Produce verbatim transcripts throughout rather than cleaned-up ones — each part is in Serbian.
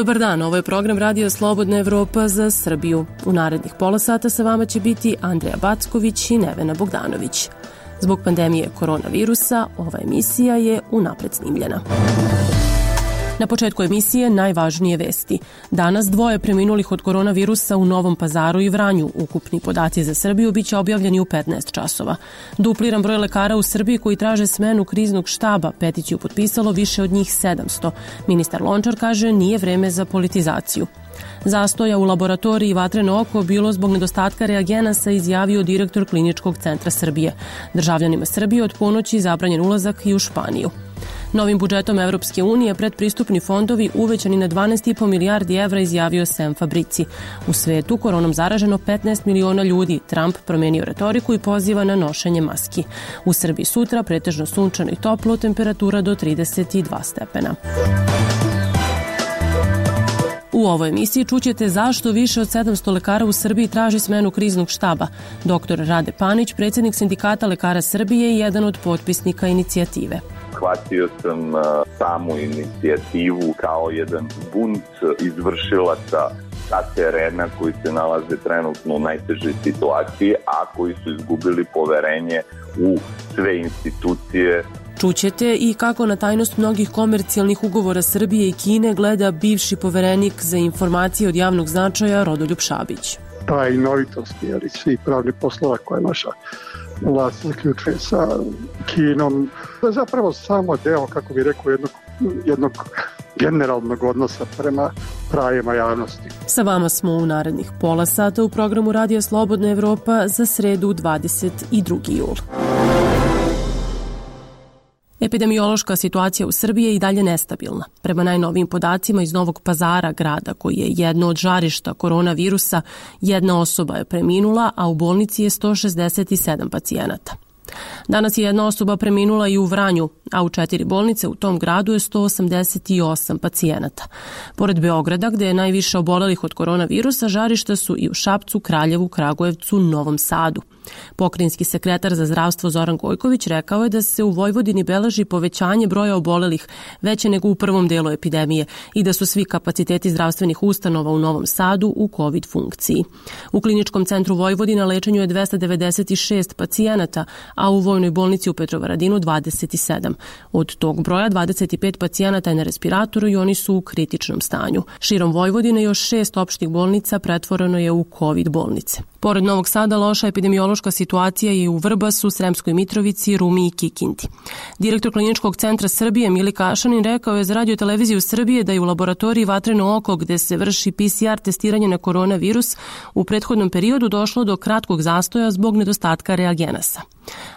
Dobar dan, ovo je program Radio Slobodna Evropa za Srbiju. U narednih pola sata sa vama će biti Andreja Backović i Nevena Bogdanović. Zbog pandemije koronavirusa, ova emisija je unapred snimljena. Na početku emisije najvažnije vesti. Danas dvoje preminulih od koronavirusa u Novom Pazaru i Vranju. Ukupni podaci za Srbiju biće objavljeni u petnaest časova. Dupliran broj lekara u Srbiji koji traže smenu kriznog štaba. Peticiju potpisalo više od njih sedamsto. Ministar Lončar kaže nije vreme za politizaciju. Zastoja u laboratoriji Vatreno oko bilo zbog nedostatka reagenasa, izjavio direktor Kliničkog centra Srbije. Državljanima Srbije od ponoći zabranjen ulazak i u Španiju. Novim budžetom Evropske unije predpristupni fondovi uvećani na dvanaest i po milijardi evra, izjavio Sam Fabrici. U svetu koronom zaraženo petnaest miliona ljudi. Trump promenio retoriku i poziva na nošenje maski. U Srbiji sutra pretežno sunčano i toplo, temperatura do trideset dva stepena. U ovoj emisiji čućete zašto više od sedamsto lekara u Srbiji traži smenu kriznog štaba. Doktor Rade Panić, predsjednik Sindikata lekara Srbije i jedan od potpisnika inicijative. Shvatio sam uh, samu inicijativu kao jedan bunt izvršilaca sa terena koji se nalaze trenutno u najtežoj situaciji, a koji su izgubili poverenje u sve institucije. Čućete i kako na tajnost mnogih komercijalnih ugovora Srbije i Kine gleda bivši poverenik za informacije od javnog značaja Rodoljub Šabić. Tajnovitost i svih pravnih poslova koje naša vlast zaključuje sa Kinom. To je zapravo samo deo, kako bih rekao, jednog, jednog generalnog odnosa prema pravima javnosti. Sa vama smo u narednih pola sata u programu Radio Slobodna Evropa za sredu dvadeset drugi jul. Epidemiološka situacija u Srbiji je i dalje nestabilna. Prema najnovijim podacima iz Novog Pazara, grada koji je jedno od žarišta koronavirusa, jedna osoba je preminula, a u bolnici je sto šezdeset sedam pacijenata. Danas je jedna osoba preminula i u Vranju, a u četiri bolnice u tom gradu je sto osamdeset osam pacijenata. Pored Beograda, gde je najviše obolelih od koronavirusa, žarišta su i u Šapcu, Kraljevu, Kragujevcu, Novom Sadu. Pokrajinski sekretar za zdravstvo Zoran Gojković rekao je da se u Vojvodini beleži povećanje broja obolelih veće nego u prvom delu epidemije i da su svi kapaciteti zdravstvenih ustanova u Novom Sadu u COVID funkciji. U Kliničkom centru Vojvodina lečenju je dvesta devedeset šest pacijenata, a u Vojnoj bolnici u Petrovaradinu dvadeset sedam. Od tog broja dvadeset pet pacijenata je na respiratoru i oni su u kritičnom stanju. Širom Vojvodine još šest opštih bolnica pretvoreno je u COVID bolnice. Pored Novog Sada, loša epidemiološka situacija je u Vrbasu, Sremskoj Mitrovici, Rumi i Kikindi. Direktor Kliničkog centra Srbije Mili Kašanin rekao je za Radio televiziju Srbije da je u laboratoriji Vatreno oko, gde se vrši P C R testiranje na koronavirus, u prethodnom periodu došlo do kratkog zastoja zbog nedostatka reagenasa.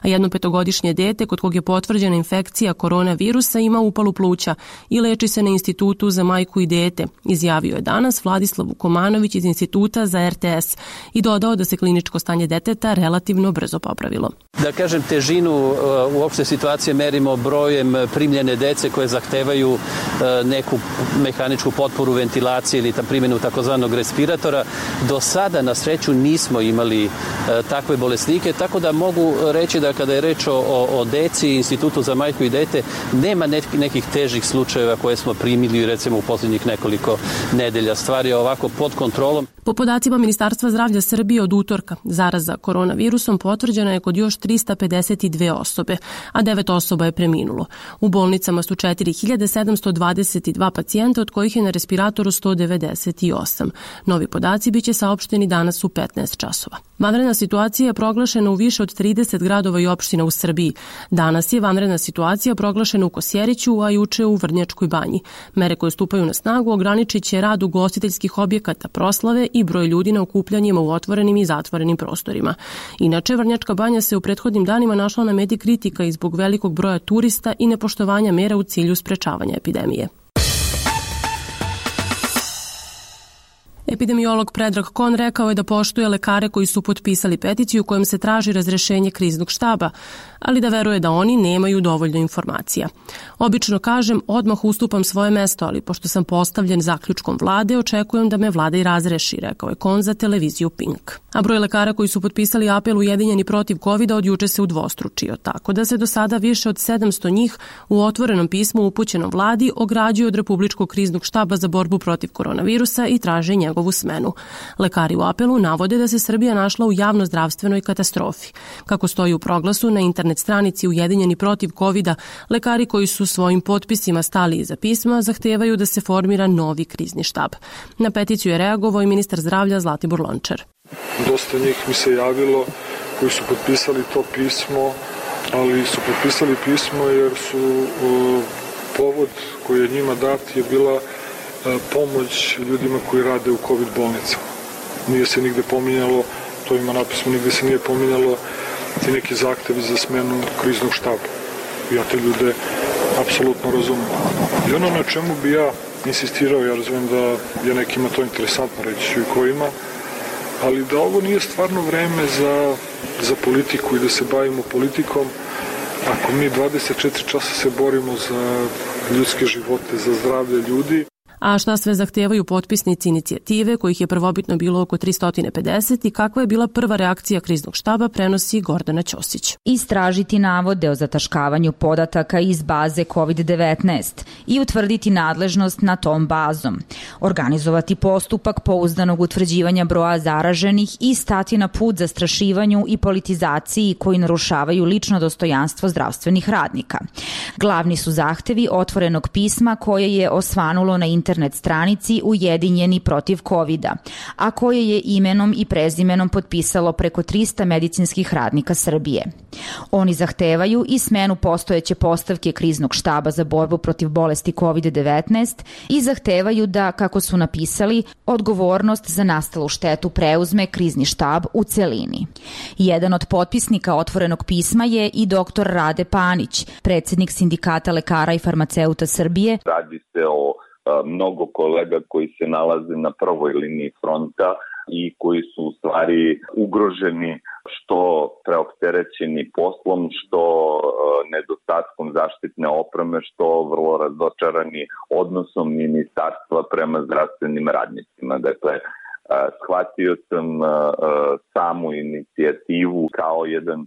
A jedno petogodišnje dete kod kog je potvrđena infekcija koronavirusa ima upalu pluća i leči se na Institutu za majku i dete, izjavio je danas Vladislav Vukomanović iz Instituta za R T S i dodao da se kliničko stanje deteta relativno brzo popravilo. Da kažem, težinu uopšte situacije merimo brojem primljene dece koje zahtevaju neku mehaničku potporu ventilacije ili primjenu takozvanog respiratora. Do sada na sreću nismo imali takve bolesnike, tako da mogu reći da kada je reč o, o deci i Institutu za majku i dete, nema nekih težih slučajeva koje smo primili recimo u posljednjih nekoliko nedelja. Stvar je ovako pod kontrolom. Po podacima Ministarstva zdravlja Srbije od utorka, zaraza koronavirusom potvrđena je kod još trista pedeset dve osobe, a devet osoba je preminulo. U bolnicama su četiri hiljade sedamsto dvadeset dva pacijenta, od kojih je na respiratoru sto devedeset osam. Novi podaci biće saopšteni danas u petnaest časova. Vanredna situacija je proglašena u više od trideset gradova i opština u Srbiji. Danas je vanredna situacija proglašena u Kosjeriću, a juče u Vrnjačkoj banji. Mere koje stupaju na snagu ograničit će rad ugostiteljskih objekata, proslave i broj ljudi na okupljanjima u otvorenim i zatvorenim prostorima. Inače, Vrnjačka banja se u prethodnim danima našla na meti kritika i zbog velikog broja turista i nepoštovanja mera u cilju sprečavanja epidemije. Epidemiolog Predrag Kon rekao je da poštuje lekare koji su potpisali peticiju kojom se traži razrešenje kriznog štaba, ali da veruje da oni nemaju dovoljno informacija. Obično kažem, odmah ustupam svoje mesto, ali pošto sam postavljen zaključkom vlade, očekujem da me vlada i razreši, rekao je Kon za televiziju Pink. A broj lekara koji su potpisali apel Ujedinjeni protiv kovida od juče se udvostručio, tako da se do sada više od sedamsto njih u otvorenom pismu upućenom vladi ograđuju od Republičkog kriznog štaba za borbu protiv koronavirusa i traže njegovu smenu. Lekari u apelu navode da se Srbija našla u javnozdravstvenoj katastrofi. Kako stoji u proglasu na internet stranici Ujedinjeni protiv kovida, lekari koji su svojim potpisima stali iza pisma zahtevaju da se formira novi krizni štab. Na peticiju je reagovao i ministar zdravlja Zlatibor Lončar. Dosta njih mi se javilo koji su potpisali to pismo, ali su potpisali pismo jer su uh, povod koji je njima dat je bila uh, pomoć ljudima koji rade u COVID bolnicama. Nije se nigde pominjalo, to ima napisano, nigde se nije pominjalo ti neki zahtevi za smenu kriznog štaba. Ja te ljude apsolutno razumem. I ono na čemu bi ja insistirao, ja razumijem da je nekima to interesantno, reći ću i ko ima, ali da ovo nije stvarno vreme za, za politiku i da se bavimo politikom. Ako mi dvadeset četiri časa se borimo za ljudske živote, za zdravlje ljudi. A šta sve zahtevaju potpisnici inicijative, kojih je prvobitno bilo oko tristo pedeset i kakva je bila prva reakcija kriznog štaba, prenosi Gordana Ćosić. Istražiti navode o zataškavanju podataka iz baze kovid devetnaest i utvrditi nadležnost na tom bazom. Organizovati postupak pouzdanog utvrđivanja broja zaraženih i stati na put zastrašivanju i politizaciji koji narušavaju lično dostojanstvo zdravstvenih radnika. Glavni su zahtevi otvorenog pisma koje je osvanulo na internet internet stranici Ujedinjeni protiv kovida, a koje je imenom i prezimenom potpisalo preko trista medicinskih radnika Srbije. Oni zahtevaju i smenu postojeće postavke kriznog štaba za borbu protiv bolesti kovid devetnaest i zahtevaju da, kako su napisali, odgovornost za nastalu štetu preuzme krizni štab u celini. Jedan od potpisnika otvorenog pisma je i doktor Rade Panić, predsednik Sindikata lekara i farmaceuta Srbije. Radi se o mnogo kolega koji se nalaze na prvoj liniji fronta i koji su u stvari ugroženi što preopterećeni poslom, što nedostatkom zaštitne opreme, što vrlo razočarani odnosom ministarstva prema zdravstvenim radnicima. Dakle, shvatio sam samu inicijativu kao jedan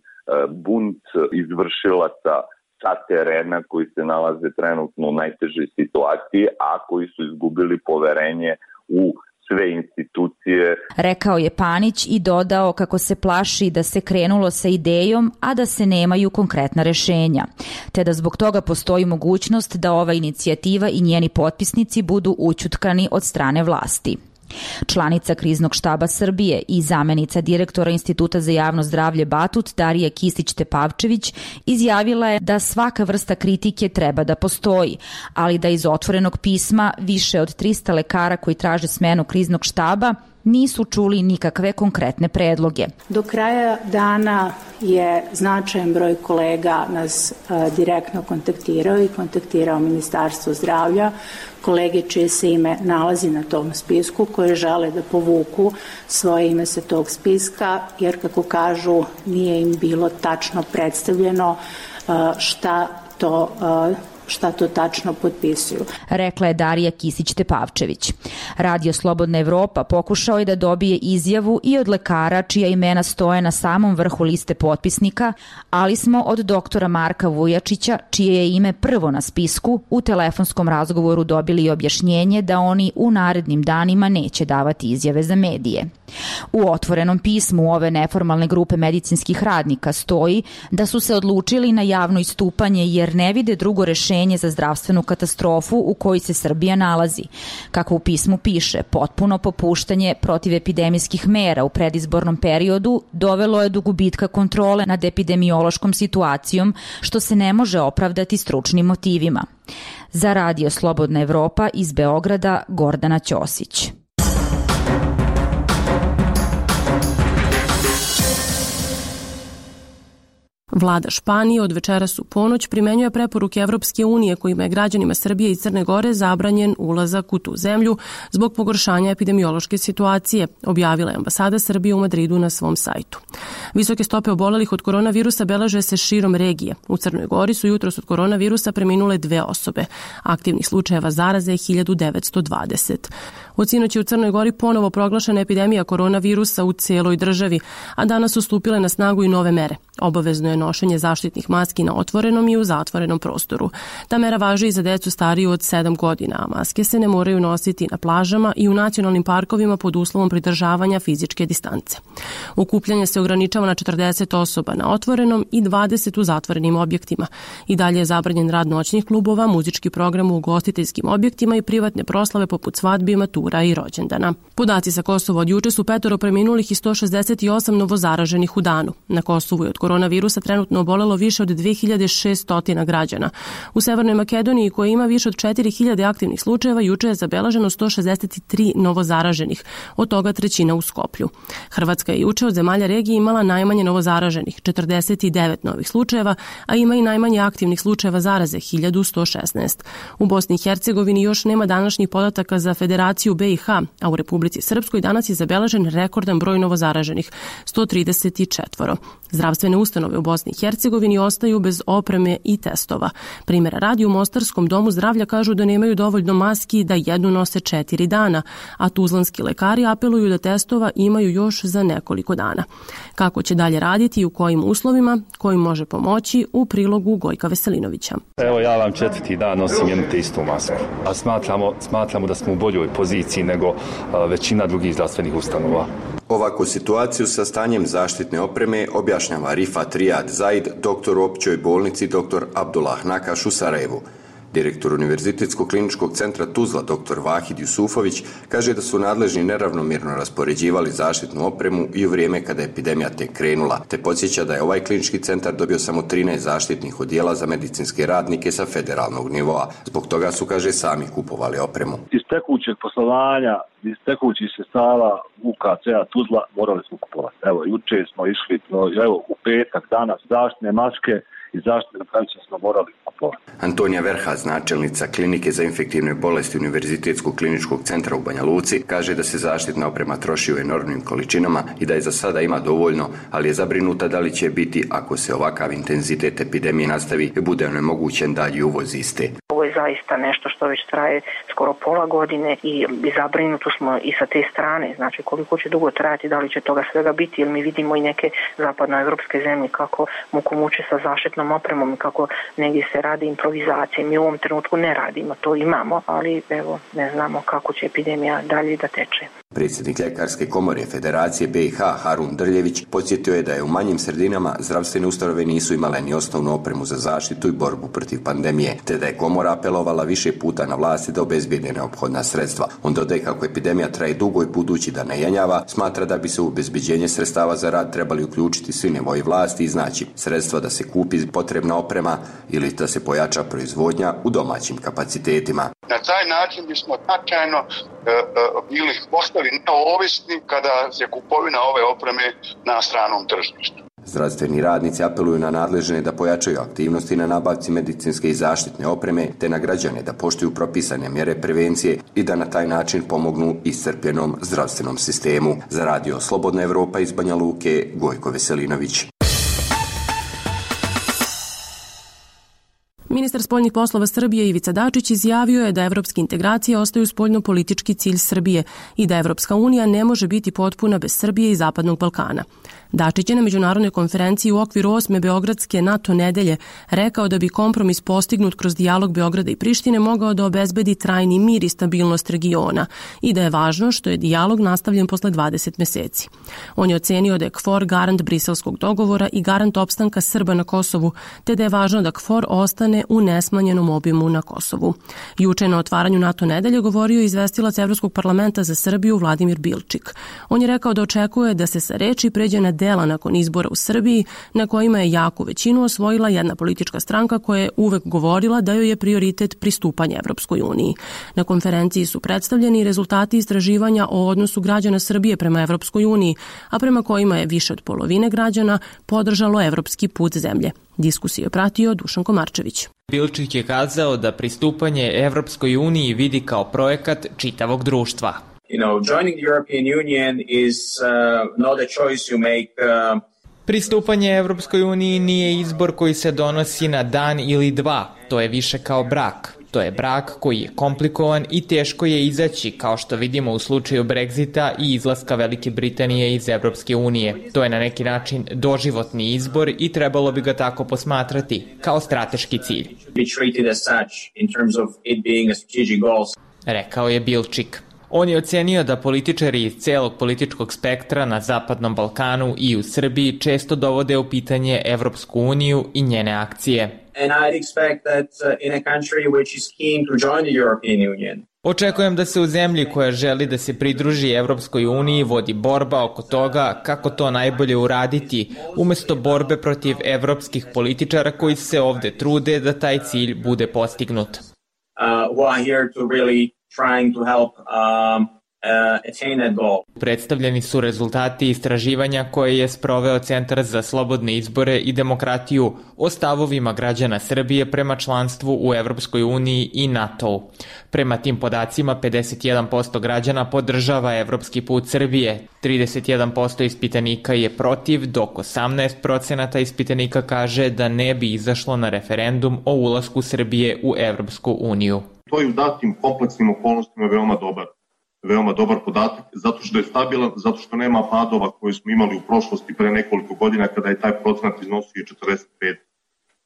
bunt izvršilaca sa terena koji se nalaze trenutno u najtežoj situaciji, a koji su izgubili poverenje u sve institucije. Rekao je Panić i dodao kako se plaši da se krenulo sa idejom, a da se nemaju konkretna rešenja, te da zbog toga postoji mogućnost da ova inicijativa i njeni potpisnici budu ućutkani od strane vlasti. Članica kriznog štaba Srbije i zamenica direktora Instituta za javno zdravlje Batut Darija Kisić-Tepavčević izjavila je da svaka vrsta kritike treba da postoji, ali da iz otvorenog pisma više od trista lekara koji traže smenu kriznog štaba nisu čuli nikakve konkretne predloge. Do kraja dana je značajan broj kolega nas a, direktno kontaktirao i kontaktirao Ministarstvo zdravlja, kolege čije se ime nalazi na tom spisku, koje žele da povuku svoje ime sa tog spiska, jer kako kažu nije im bilo tačno predstavljeno a, šta to a, šta to tačno potpisuju. Rekla je Darija Kisić-Tepavčević. Radio Slobodna Evropa pokušao je da dobije izjavu i od lekara čija imena stoje na samom vrhu liste potpisnika, ali smo od doktora Marka Vujačića, čije je ime prvo na spisku, u telefonskom razgovoru dobili objašnjenje da oni u narednim danima neće davati izjave za medije. U otvorenom pismu ove neformalne grupe medicinskih radnika stoji da su se odlučili na javno istupanje jer ne vide drugo rešenje za zdravstvenu katastrofu u kojoj se Srbija nalazi. Kako u pismu piše, potpuno popuštanje protivepidemijskih mera u predizbornom periodu dovelo je do gubitka kontrole nad epidemiološkom situacijom, što se ne može opravdati stručnim motivima. Za Radio Slobodna Evropa iz Beograda, Gordana Ćosić. Vlada Španije od večeras u ponoć primenjuje preporuke Evropske unije kojima je građanima Srbije i Crne Gore zabranjen ulazak u tu zemlju zbog pogoršanja epidemiološke situacije, objavila je ambasada Srbije u Madridu na svom sajtu. Visoke stope obolelih od koronavirusa beleže se širom regije. U Crnoj Gori su jutros od koronavirusa preminule dve osobe. Aktivnih slučajeva zaraze je hiljadu devetsto dvadeset. Od sinoć je u Crnoj Gori ponovo proglašena epidemija koronavirusa u celoj državi, a danas su stupile na snagu i nove mere. Obavezno je nošenje zaštitnih maski na otvorenom i u zatvorenom prostoru. Ta mera važi i za decu stariju od sedam godina, a maske se ne moraju nositi na plažama i u nacionalnim parkovima pod uslovom pridržavanja fizičke distance. Okupljanje se ograničava na četrdeset osoba na otvorenom i dvadeset u zatvorenim objektima. I dalje je zabranjen rad noćnih klubova, muzički program u ugostiteljskim objektima i privatne proslave poput svadbi, matura i rođendana. Podaci sa Kosova od juče su petoro preminulih i sto šezdeset osam novozaraženih u danu. Na Kosovu je od koronavirusa trenutno obolelo više od dve hiljade šesto građana. U Severnoj Makedoniji, koja ima više od četiri hiljade aktivnih slučajeva, juče je zabeleženo sto šezdeset tri novozaraženih, od toga trećina u Skoplju. Hrvatska je juče od zemalja regije imala najmanje novozaraženih, četrdeset devet novih slučajeva, a ima i najmanje aktivnih slučajeva zaraze, hiljadu sto šesnaest. U Bosni i Hercegovini još nema današnjih podataka za Federaciju B i H, a u Republici Srpskoj danas je zabeležen rekordan broj novozaraženih, sto trideset četiri. Zdravstvene ustanove u Bosni i Hercegovini ostaju bez opreme i testova. Primjera radi, u Mostarskom domu zdravlja kažu da nemaju dovoljno maski da jednu nose četiri dana, a tuzlanski lekari apeluju da testova imaju još za nekoliko dana. Kako će dalje raditi i u kojim uslovima, kojim može pomoći, u prilogu Gojka Veselinovića. Evo, ja vam četvrti dan nosim jednu te istu masku. A smatramo, smatramo da smo u boljoj poziciji nego a, većina drugih zdravstvenih ustanova. Ovakvu situaciju sa stanjem zaštitne opreme objašnjava Rifat Rijad Zaid, doktor u općoj bolnici dr. Abdullah Nakaš u Sarajevu. Direktor Univerzitetskog kliničkog centra Tuzla, dr. Vahid Jusufović, kaže da su nadležni neravnomjerno raspoređivali zaštitnu opremu i u vrijeme kada je epidemija tek krenula, te podsjeća da je ovaj klinički centar dobio samo trinaest zaštitnih odjela za medicinske radnike sa federalnog nivoa. Zbog toga su, kaže, sami kupovali opremu. Iz tekućeg poslovanja, iz tekućih sredstava U K C-a Tuzla morali smo kupovati. Evo, juče smo išli, no, evo, u petak, danas, zaštitne maske i zaštitne napravice smo morali kupovati. Antonija Verhaz, načelnica klinike za infektivne bolesti Univerzitetskog kliničkog centra u Banja Luci, kaže da se zaštitna oprema troši u enormnim količinama i da je za sada ima dovoljno, ali je zabrinuta da li će biti ako se ovakav intenzitet epidemije nastavi i bude onemogućen dalji uvoz iste. Ovo je zaista nešto što već traje skoro pola godine i zabrinuti smo i sa te strane, znači koliko će dugo trajati, da li će toga svega biti, jer mi vidimo i neke zapadnoevropske zemlje kako muku muče sa zaštitnom opremom i kako negdje se radi improvizacije. Mi u ovom trenutku ne radimo, to imamo, ali evo ne znamo kako će epidemija dalje da teče. Predsjednik Ljekarske komore Federacije B i H Harun Drljević podsjetio je da je u manjim sredinama zdravstvene ustanove nisu imale ni osnovnu opremu za zaštitu i borbu protiv pandemije, te da je komora apelovala više puta na vlasti da obezbijede neophodna sredstva. On dodaje kako epidemija traje dugo i budući da ne jenjava, smatra da bi se u obezbeđenje sredstava za rad trebali uključiti svi nivoji vlasti i znači sredstva da se kupi potrebna oprema ili da se pojača proizvodnja u domaćim kapacitetima. Na taj način bismo značajno e, e, bili postali neovisni kada je kupovina ove opreme na stranom tržištu. Zdravstveni radnici apeluju na nadležne da pojačaju aktivnosti na nabavci medicinske i zaštitne opreme, te na građane da poštuju propisane mjere prevencije i da na taj način pomognu iscrpljenom zdravstvenom sistemu. Za radio Slobodna Evropa iz Banja Luke, Gojko Veselinović. Ministar spoljnih poslova Srbije Ivica Dačić izjavio je da evropske integracije ostaju spoljno-politički cilj Srbije i da Evropska unija ne može biti potpuna bez Srbije i Zapadnog Balkana. Dačić je na međunarodnoj konferenciji u okviru osme Beogradske NATO nedelje rekao da bi kompromis postignut kroz dijalog Beograda i Prištine mogao da obezbedi trajni mir i stabilnost regiona i da je važno što je dijalog nastavljen posle dvadeset meseci. On je ocenio da je KFOR garant briselskog dogovora i garant opstanka Srba na Kosovu, te da je važno da KFOR ostane u nesmanjenom obimu na Kosovu. Juče na otvaranju NATO nedelje govorio je izvestilac Evropskog parlamenta za Srbiju Vladimir Bilčik. On je rekao da očekuje da se sa reči pređe na dela nakon izbora u Srbiji, na kojima je jaku većinu osvojila jedna politička stranka koja je uvek govorila da joj je prioritet pristupanje Evropskoj uniji. Na konferenciji su predstavljeni rezultati istraživanja o odnosu građana Srbije prema Evropskoj uniji, a prema kojima je više od polovine građana podržalo evropski put zemlje. Diskusiju je pratio Dušan Komarčević. Bilčik je kazao da pristupanje Evropskoj uniji vidi kao projekat čitavog društva. You know, joining the European Union is uh, not a choice you make. Uh... Pristupanje Evropskoj uniji nije izbor koji se donosi na dan ili dva. To je više kao brak. To je brak koji je komplikovan i teško je izaći, kao što vidimo u slučaju Brexita i izlaska Velike Britanije iz Evropske unije. To je na neki način doživotni izbor i trebalo bi ga tako posmatrati, kao strateški cilj. Rekao je Bilčik. On je ocenio da političari iz celog političkog spektra na Zapadnom Balkanu i u Srbiji često dovode u pitanje Evropsku uniju i njene akcije. And I'd expect that uh, in a country which is keen to join the European Union. Očekujem da se u zemlji koja želi da se pridruži Evropskoj uniji vodi borba oko toga kako to najbolje uraditi, umesto borbe protiv evropskih političara koji se ovde trude da taj cilj bude postignut. Uh, who are here to really trying to help um, uh, attain that goal. Predstavljeni su rezultati istraživanja koje je sproveo Centar za slobodne izbore i demokratiju o stavovima građana Srbije prema članstvu u Evropskoj uniji i NATO-u. Prema tim podacima, pedeset jedan posto građana podržava evropski put Srbije, trideset jedan posto ispitanika je protiv, dok osamnaest procenata ispitanika kaže da ne bi izašlo na referendum o ulasku Srbije u Evropsku uniju. To je u datim kompleksnim okolnostima veoma dobar. veoma dobar podatak, zato što je stabilan, zato što nema padova koje smo imali u prošlosti pre nekoliko godina kada je taj procenat iznosio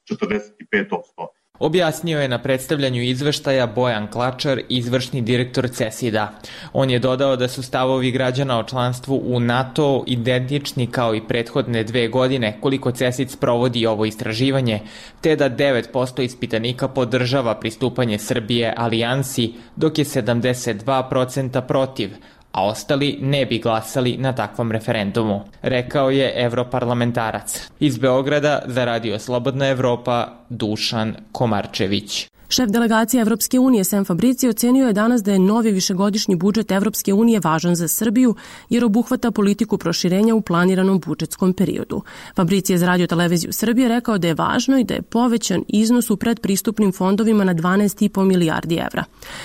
četrdeset pet posto. Objasnio je na predstavljanju izveštaja Bojan Klačar, izvršni direktor CESID-a. On je dodao da su stavovi građana o članstvu u NATO identični kao i prethodne dve godine koliko CESID sprovodi ovo istraživanje, te da devet posto ispitanika podržava pristupanje Srbije alijansi, dok je sedamdeset dva posto protiv, a ostali ne bi glasali na takvom referendumu, rekao je evroparlamentarac. Iz Beograda za Radio Slobodna Evropa, Dušan Komarčević. Šef delegacije Evropske unije Sem Fabrici ocenio je danas da je novi višegodišnji budžet Evropske unije važan za Srbiju jer obuhvata politiku proširenja u planiranom budžetskom periodu. Fabrici je za Radio Televiziju Srbije rekao da je važno i da je povećan iznos u predpristupnim fondovima na dvanaest i po milijardi evra.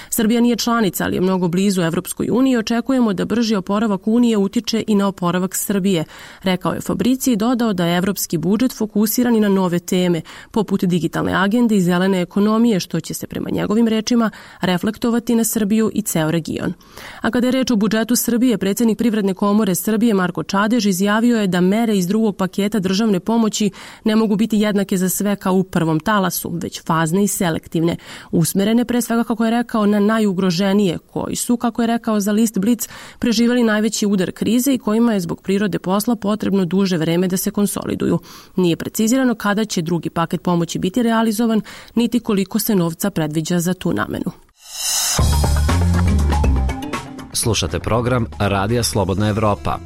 Srbija nije članica, ali je mnogo blizu Evropskoj uniji i očekujemo da brži oporavak Unije utiče i na oporavak Srbije, rekao je Fabrici i dodao da je evropski budžet fokusiran i na nove teme, poput digitalne agende i zelene ekonomije, što će se prema njegovim rečima reflektovati na Srbiju i ceo region. A kada je reč o budžetu Srbije, predsjednik Privredne komore Srbije Marko Čadež izjavio je da mere iz drugog paketa državne pomoći ne mogu biti jednake za sve kao u prvom talasu, već fazne i selektivne, usmerene pre svega, kako je rekao, na najugroženije, koji su, kako je rekao za list Blic, preživeli najveći udar krize i kojima je zbog prirode posla potrebno duže vreme da se konsoliduju. Nije precizirano kada će drugi paket pomoći biti realizovan, niti koliko se novca predviđa za tu namenu. Slušate program Radija Slobodna Evropa.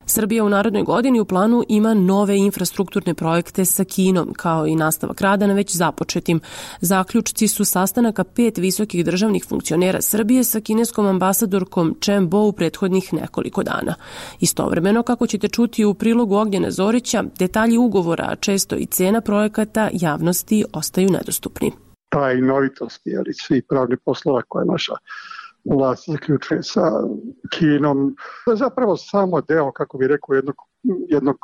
Srbija u narednoj godini u planu ima nove infrastrukturne projekte sa Kinom, kao i nastavak rada na već započetim. Zaključci su sastanaka pet visokih državnih funkcionera Srbije sa kineskom ambasadorkom Chen Bo u prethodnih nekoliko dana. Istovremeno, kako ćete čuti u prilogu Ognjena Zorića, detalji ugovora, a često i cena projekata javnosti ostaju nedostupni. Tajnovitosti, ali svi pravni poslova koje naša vlast zaključuje sa Kinom. Zapravo samo deo, kako bih rekao, jednog, jednog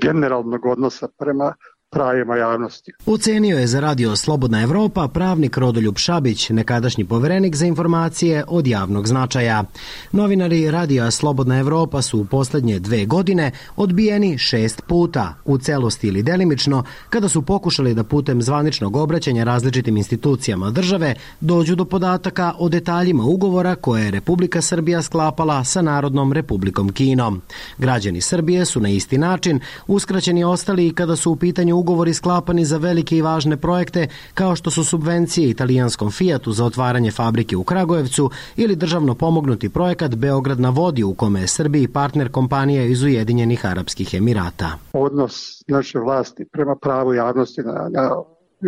generalnog odnosa prema pravima javnosti. Ocenio je za Radio Slobodna Evropa pravnik Rodoljub Šabić, nekadašnji poverenik za informacije od javnog značaja. Novinari Radija Slobodna Evropa su u poslednje dve godine odbijeni šest puta, u celosti ili delimično, kada su pokušali da putem zvaničnog obraćanja različitim institucijama države dođu do podataka o detaljima ugovora koje je Republika Srbija sklapala sa Narodnom Republikom Kinom. Građani Srbije su na isti način uskraćeni ostali i kada su u pitanju ugovori sklapani za velike i važne projekte kao što su subvencije italijanskom Fiatu za otvaranje fabrike u Kragujevcu ili državno pomognuti projekat Beograd na vodi u kome je Srbiji partner kompanija iz Ujedinjenih Arapskih Emirata. Odnos naše vlasti prema pravu javnosti na, na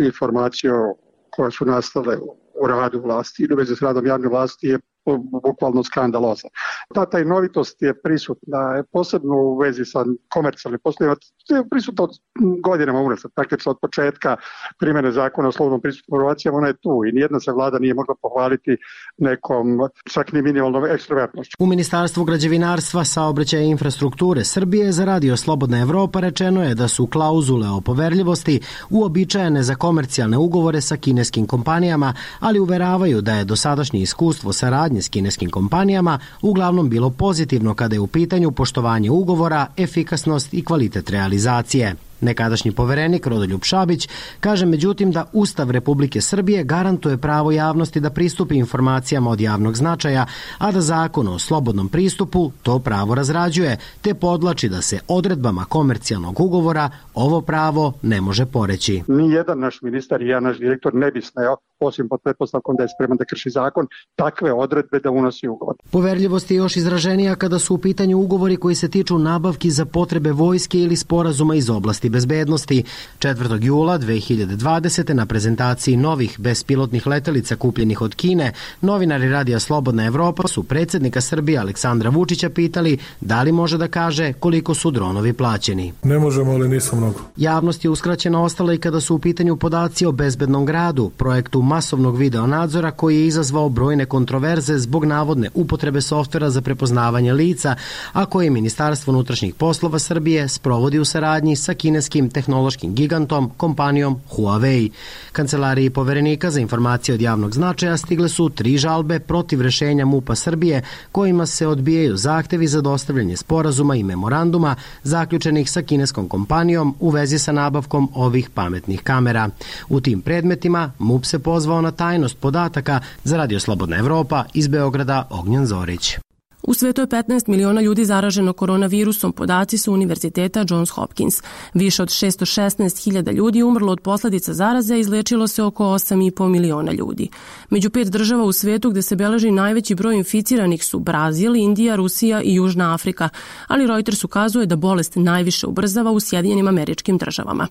informacije koje su nastale u radu vlasti ili u vezi s radom javne vlasti je bukvalno skandaloza. Ta tajnovitost je prisutna, posebno u vezi sa komercijalnim poslovima, je prisutna od godinama unazad, praktično od početka primjene zakona o slobodnom pristupu informacijama, ona je tu i nijedna se vlada nije mogla pohvaliti nekom čak ni minimalnom ekstrovertnošću. U Ministarstvu građevinarstva, saobraćaja i infrastrukture Srbije za Radio Slobodna Evropa rečeno je da su klauzule o poverljivosti uobičajene za komercijalne ugovore sa kineskim kompanijama, ali uveravaju da je dosadašnje iskustvo saradnje s kineskim kompanijama uglavnom bilo pozitivno kada je u pitanju poštovanje ugovora, efikasnost i kvalitet realizacije. Nekadašnji poverenik Rodoljub Šabić kaže međutim da Ustav Republike Srbije garantuje pravo javnosti da pristupi informacijama od javnog značaja, a da Zakon o slobodnom pristupu to pravo razrađuje, te podlači da se odredbama komercijalnog ugovora ovo pravo ne može poreći. Nijedan naš ministar i ja, naš direktor, ne bi smeo, osim pod pretpostavkom da je spreman da krši zakon, takve odredbe da unosi ugovor. Poverljivost je još izraženija kada su u pitanju ugovori koji se tiču nabavki za potrebe vojske ili sporazuma iz oblasti bezbednosti. četvrtog jula dve hiljade dvadesete. na prezentaciji novih bespilotnih letelica kupljenih od Kine, novinari Radija Slobodna Evropa su predsjednika Srbije Aleksandra Vučića pitali da li može da kaže koliko su dronovi plaćeni. Ne možemo, ali nisu mnogo. Javnost je uskraćena ostala i kada su u pitanju podaci o bezbednom gradu, projektu masovnog videonadzora koji je izazvao brojne kontroverze zbog navodne upotrebe softvera za prepoznavanje lica, a koje Ministarstvo unutrašnjih poslova Srbije sprovodi u saradnji sa kineskim tehnološkim gigantom, kompanijom Huawei. Kancelariji poverenika za informacije od javnog značaja stigle su tri žalbe protiv rešenja MUP-a Srbije kojima se odbijaju zahtevi za dostavljanje sporazuma i memoranduma zaključenih sa kineskom kompanijom u vezi sa nabavkom ovih pametnih kamera. U tim predmetima MUP se pozvao na tajnost podataka. Za Radio Slobodna Evropa iz Beograda Ognjen Zorić. U svetu je petnaest miliona ljudi zaraženo koronavirusom, podaci su Univerziteta Johns Hopkins. Više od šesto šesnaest hiljada ljudi umrlo od posledica zaraze, izlečilo se oko osam i po miliona ljudi. Među pet država u svetu gde se beleži najveći broj inficiranih su Brazil, Indija, Rusija i Južna Afrika, ali Reuters ukazuje da bolest najviše ubrzava u Sjedinjenim Američkim Državama.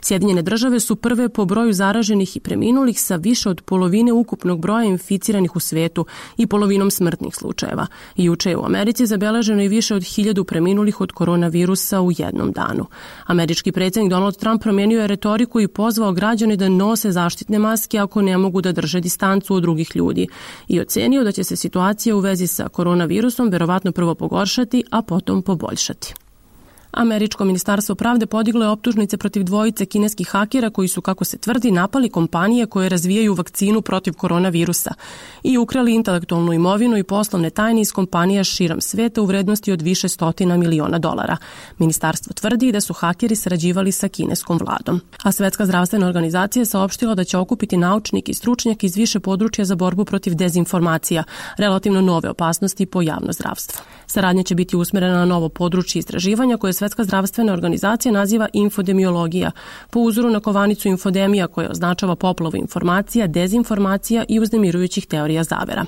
Sjedinjene države su prve po broju zaraženih i preminulih sa više od polovine ukupnog broja inficiranih u svetu i polovinom smrtnih slučajeva. I Juče je u Americi zabeleženo i više od hiljadu preminulih od koronavirusa u jednom danu. Američki predsjednik Donald Trump promijenio je retoriku i pozvao građane da nose zaštitne maske ako ne mogu da drže distancu od drugih ljudi i ocenio da će se situacija u vezi sa koronavirusom verovatno prvo pogoršati, a potom poboljšati. Američko ministarstvo pravde podiglo je optužnice protiv dvojice kineskih hakera koji su, kako se tvrdi, napali kompanije koje razvijaju vakcinu protiv koronavirusa i ukrali intelektualnu imovinu i poslovne tajne iz kompanija širom sveta u vrednosti od više stotina miliona dolara. Ministarstvo tvrdi da su hakeri sarađivali sa kineskom vladom. A Svetska zdravstvena organizacija je saopštila da će okupiti naučnike i stručnjake iz više područja za borbu protiv dezinformacija, relativno nove opasnosti po javno zdravstvo. Saradnja će biti usmerena na novo područje istraživanja koje Svetska zdravstvena organizacija naziva infodemiologija, po uzoru na kovanicu infodemija koja označava poplavu informacija, dezinformacija i uznemirujućih teorija zavera.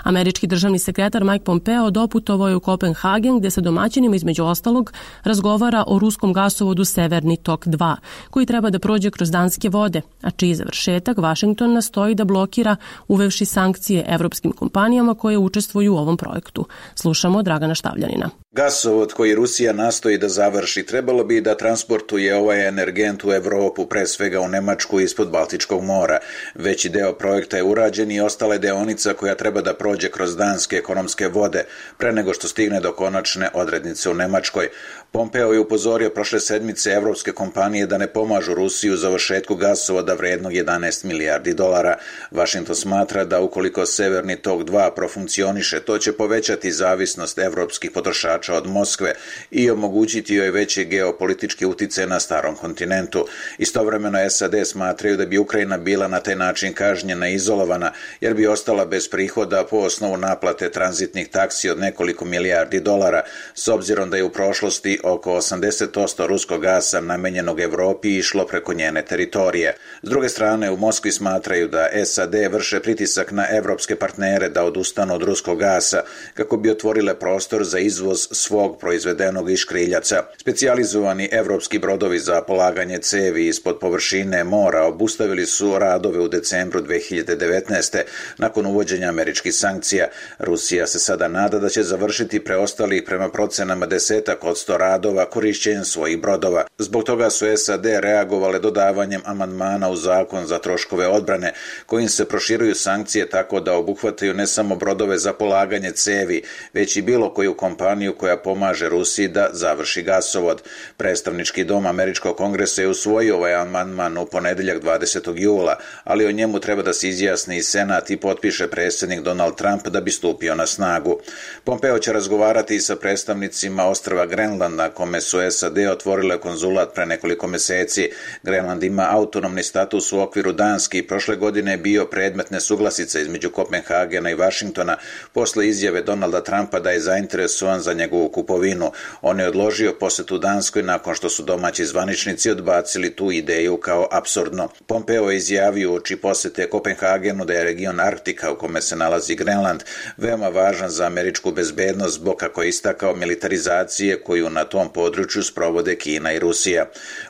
Američki državni sekretar Mike Pompeo doputovao je u Kopenhagen gde se domaćinima između ostalog razgovara o ruskom gasovodu Severni tok dva, koji treba da prođe kroz danske vode, a čiji završetak Vašington nastoji da blokira uvevši sankcije evropskim kompanijama koje učestvuju u ovom projektu. Slušamo Dragana Štavljanina. Gasovod koji Rusija nastoji da završi, trebalo bi da transportuje ovaj energent u Evropu, pre svega u Nemačku ispod Baltičkog mora. Veći deo projekta je urađen i ostala je deonica koja treba da prođe kroz danske ekonomske vode, pre nego što stigne do konačne odrednice u Nemačkoj. Pompeo je upozorio prošle sedmice evropske kompanije da ne pomažu Rusiji u završetku gasovoda vrednog jedanaest milijardi dolara. Washington smatra da ukoliko Severni tok dva profunkcioniše, to će povećati zavisnost evropskih potrošača od Moskve i omogućiti joj veći geopolitički uticaj na starom kontinentu. Istovremeno S A D smatraju da bi Ukrajina bila na taj način kažnjena i izolovana, jer bi ostala bez prihoda po osnovu naplate tranzitnih taksi od nekoliko milijardi dolara, s obzirom da je u prošlosti oko osamdeset posto ruskog gasa namenjenog Evropi išlo preko njene teritorije. S druge strane, u Moskvi smatraju da S A D vrše pritisak na evropske partnere da odustanu od ruskog gasa kako bi otvorile prostor za izvoz svog proizvedenog iz škriljaca. Specijalizovani evropski brodovi za polaganje cevi ispod površine mora obustavili su radove u decembru dve hiljade devetnaeste. nakon uvođenja američkih sankcija. Rusija se sada nada da će završiti preostalih prema procenama desetak od sto radova korišćenjem svojih brodova. Zbog toga su S A D reagovale dodavanjem amandmana u zakon za troškove odbrane, kojim se proširuju sankcije tako da obuhvataju ne samo brodove za polaganje cevi, već i bilo koju kompaniju koja pomaže Rusiji da završi gasovod. Predstavnički dom Američkog kongresa je usvojio ovaj amandman u ponedeljak dvadesetog jula, ali o njemu treba da se izjasni i Senat i potpiše predsjednik Donald Trump da bi stupio na snagu. Pompeo će razgovarati sa predstavnicima ostrva Grenland, na kome su S A D otvorile konzulat pre nekoliko meseci. Grenland ima autonomni status u okviru Danske i prošle godine je bio predmet nesuglasica između Kopenhagena i Vašingtona posle izjave Donalda Trumpa da je zainteresovan za njegovu kupovinu. On je odložio posetu Danskoj nakon što su domaći zvaničnici odbacili tu ideju kao apsurdno. Pompeo je izjavio uoči posete Kopenhagenu da je region Arktika u kome se nalazi Grenland veoma važan za američku bezbednost zbog, kako je istakao, militarizacije koju na tom području sprovode Kina i Rusija.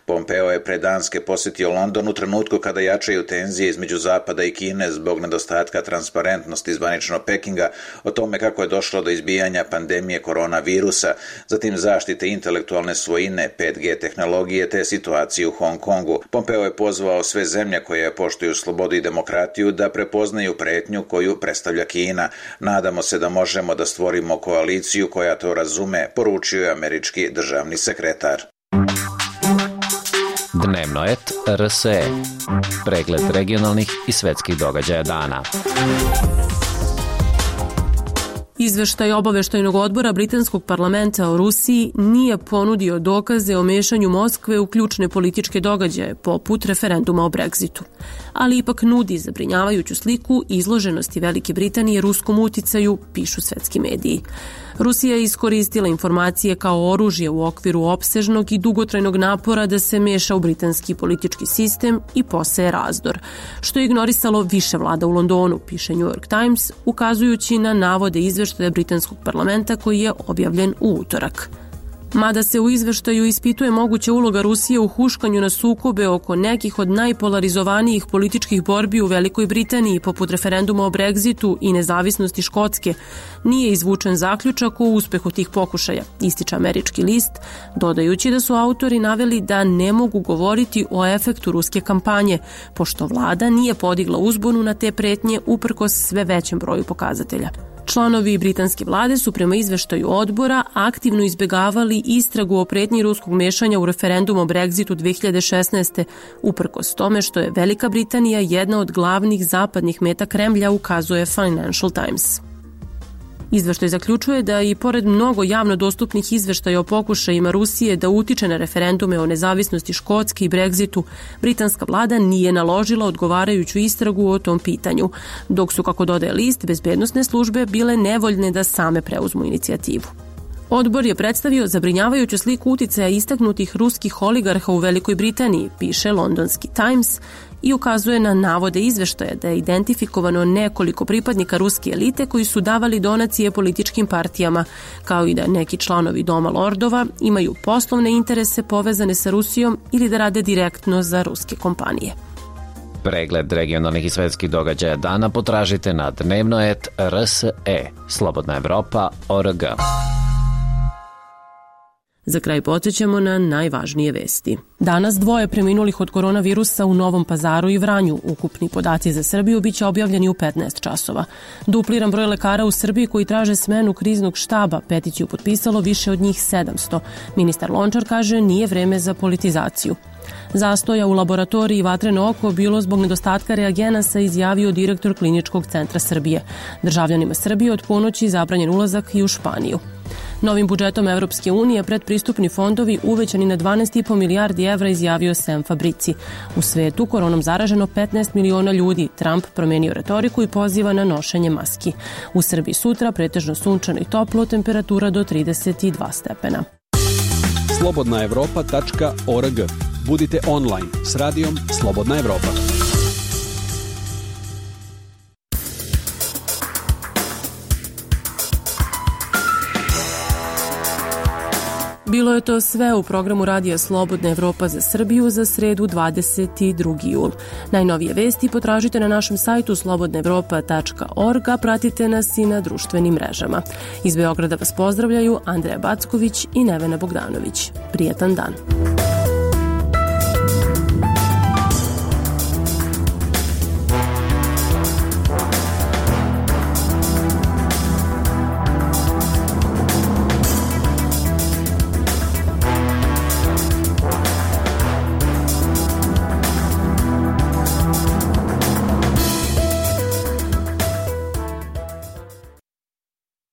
Pompeo je pre Danske posetio London u trenutku kada jačaju tenzije između Zapada i Kine zbog nedostatka transparentnosti zvaničnog Pekinga o tome kako je došlo do izbijanja pandemije koronavirusa, zatim zaštite intelektualne svojine, pet G tehnologije te situacije u Hong Kongu. Pompeo je pozvao sve zemlje koje poštuju slobodu i demokratiju da prepoznaju pretnju koju predstavlja Kina. Nadamo se da možemo da stvorimo koaliciju koja to razume, poručio je američki državni sekretar. Dnevnoet R S E. Pregled regionalnih i svetskih događaja dana. Izveštaj obaveštajnog odbora britanskog parlamenta o Rusiji nije ponudio dokaze o mešanju Moskve u ključne političke događaje, poput referenduma o Brexitu, ali ipak nudi zabrinjavajuću sliku izloženosti Velike Britanije ruskom uticaju, pišu svetski mediji. Rusija je iskoristila informacije kao oružje u okviru opsežnog i dugotrajnog napora da se meša u britanski politički sistem i poseje razdor, što je ignorisalo više vlada u Londonu, piše New York Times, ukazujući na navode izveštaja britanskog parlamenta koji je objavljen u utorak. Mada se u izveštaju ispituje moguća uloga Rusije u huškanju na sukobe oko nekih od najpolarizovanijih političkih borbi u Velikoj Britaniji, poput referenduma o Brexitu i nezavisnosti Škotske, nije izvučen zaključak o uspehu tih pokušaja, ističe američki list, dodajući da su autori naveli da ne mogu govoriti o efektu ruske kampanje, pošto vlada nije podigla uzbunu na te pretnje uprkos sve većem broju pokazatelja. Članovi britanske vlade su prema izveštaju odbora aktivno izbegavali istragu o pretnji ruskog mešanja u referendum o Brexitu dve hiljade šesnaeste. uprkos tome što je Velika Britanija jedna od glavnih zapadnih meta Kremlja, ukazuje Financial Times. Izveštaj zaključuje da i pored mnogo javno dostupnih izveštaja o pokušajima Rusije da utiče na referendume o nezavisnosti Škotske i Brexitu, britanska vlada nije naložila odgovarajuću istragu o tom pitanju, dok su, kako dodaje list, bezbednosne službe bile nevoljne da same preuzmu inicijativu. Odbor je predstavio zabrinjavajuću sliku uticaja istaknutih ruskih oligarha u Velikoj Britaniji, piše londonski Times, i ukazuje na navode izveštaja da je identifikovano nekoliko pripadnika ruske elite koji su davali donacije političkim partijama, kao i da neki članovi Doma lordova imaju poslovne interese povezane sa Rusijom ili da rade direktno za ruske kompanije. Pregled regionalnih i svetskih događaja dana potražite na dnevnoet R S E, Slobodna Evropa, O R G. Za kraj podsjećamo na najvažnije vesti. Danas dvoje preminulih od koronavirusa u Novom Pazaru i Vranju. Ukupni podaci za Srbiju biće objavljeni u petnaest časova. Dupliran broj lekara u Srbiji koji traže smenu kriznog štaba, peticiju potpisalo više od njih sedamsto. Ministar Lončar kaže nije vreme za politizaciju. Zastoja u laboratoriji Vatreno oko bilo zbog nedostatka reagenasa, izjavio direktor Kliničkog centra Srbije. Državljanima Srbije od ponoći zabranjen ulazak i u Španiju. Novim budžetom Evropske unije predpristupni fondovi uvećani na dvanaest i po milijardi evra, izjavio Sam Fabrici. U svetu koronom zaraženo petnaest miliona ljudi. Trump promenio retoriku i poziva na nošenje maski. U Srbiji sutra pretežno sunčano i toplo, temperatura do trideset dva stepena. slobodna evropa tačka org. Budite online s radijom Slobodna Evropa. Bilo je to sve u programu Radija Slobodna Evropa za Srbiju za sredu dvadeset drugi jul. Najnovije vesti potražite na našem sajtu slobodna evropa tačka org, a pratite nas i na društvenim mrežama. Iz Beograda vas pozdravljaju Andreja Backović i Nevena Bogdanović. Prijetan dan.